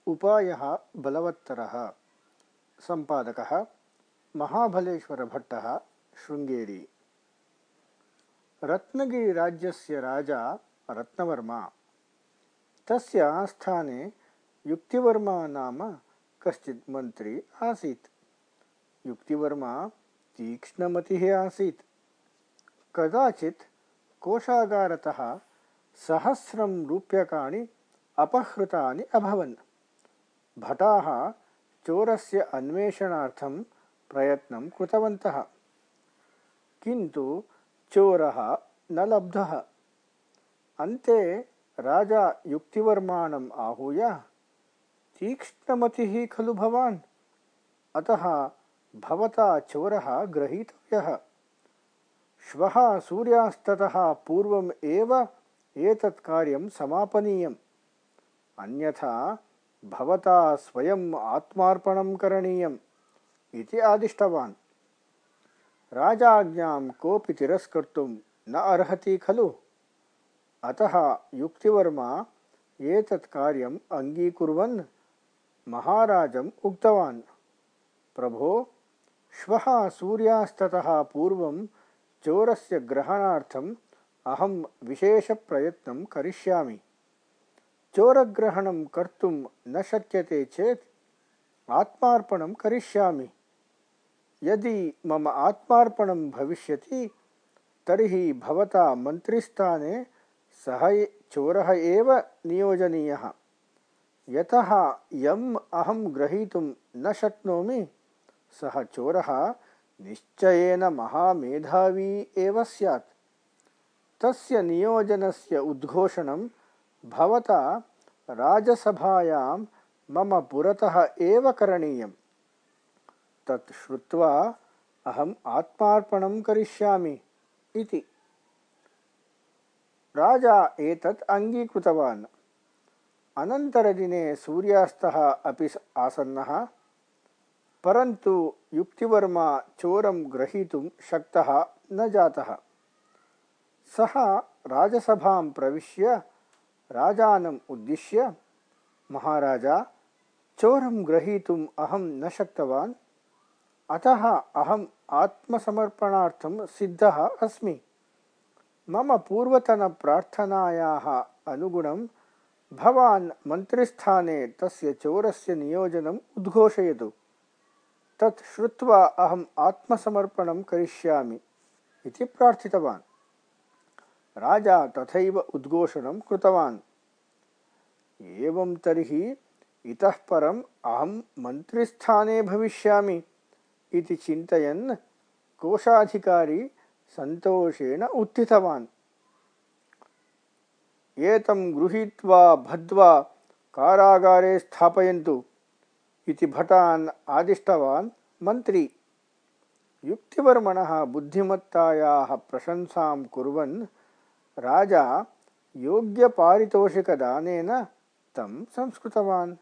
उपायः बलवत्तरः। सम्पादकः महाबलेश्वरभट्टः, शृङ्गेरी। रत्नगिरिराज्यस्य राजा रत्नवर्मा। तस्य आस्थाने युक्तिवर्मा नाम कश्चित् मन्त्री आसीत्। युक्तिवर्मा तीक्ष्णमतिः आसीत्। कदाचित् कोषागारतः 1,000 रूप्यकाणि अपहृतानि अभवन्। भटाः चोरस्य अन्वेषणार्थं प्रयत्नं कृतवन्तः, किन्तु चोरः न लब्धः। अन्ते राजा युक्तिवर्माणम् आहूय, तीक्ष्णमतिः खलु भवान्, अतः भवता चोरः ग्रहीतव्यः। श्वः सूर्यास्ततः पूर्वम् एव एतत् कार्यं समापनीयम्, अन्यथा भवता स्वयम् आत्मार्पणं करणीयम् इति आदिष्टवान्। राजाज्ञां कोऽपि तिरस्कर्तुं न अर्हति खलु। अतः युक्तिवर्मा एतत् कार्यम् अङ्गीकुर्वन् महाराजम् उक्तवान्, प्रभो, श्वः सूर्यास्ततः पूर्वं चोरस्य ग्रहणार्थम् अहं विशेषप्रयत्नं करिष्यामि। चोरग्रहणं कर्तुं न शक्यते चेत् आत्मार्पणं करिष्यामि। यदि मम आत्मार्पणं भविष्यति तर्हि भवता मन्त्रिस्थाने सः चोरः एव नियोजनीयः। यतः यम् अहं ग्रहीतुं न शक्नोमि सः चोरः निश्चयेन महामेधावी एव स्यात्। तस्य नियोजनस्य उद्घोषणं भवता राजसभायां मम पुरतः एव करणीयम्। तत् श्रुत्वा अहम् आत्मार्पणं करिष्यामि इति। राजा एतत् अङ्गीकृतवान्। अनन्तरदिने सूर्यास्तः अपि आसन्नः, परन्तु युक्तिवर्मा चोरं ग्रहीतुं शक्तः न जातः। सः राजसभां प्रविश्य राजानम् उद्दिश्य, महाराजा, चोरं ग्रहीतुम् अहं न शक्तवान्, अतः अहम् आत्मसमर्पणार्थं सिद्धः अस्मि। मम पूर्वतनप्रार्थनायाः अनुगुणं भवान् मन्त्रिस्थाने तस्य चोरस्य नियोजनम् उद्घोषयतु। तत् श्रुत्वा अहम् आत्मसमर्पणं करिष्यामि इति प्रार्थितवान्। राजा तथैव उद्घोषणं कृतवान्। एवं तर्हि इतः परम् अहं मन्त्रिस्थाने भविष्यामि इति चिन्तयन् कोषाधिकारी सन्तोषेण उत्थितवान्। एतं गृहीत्वा बद्ध्वा कारागारे स्थापयन्तु इति भटान् आदिष्टवान् मन्त्री। युक्तिवर्मणः बुद्धिमत्तायाः प्रशंसां कुर्वन् राजा योग्यपारितोषिकदानेन तं संस्कृतवान्।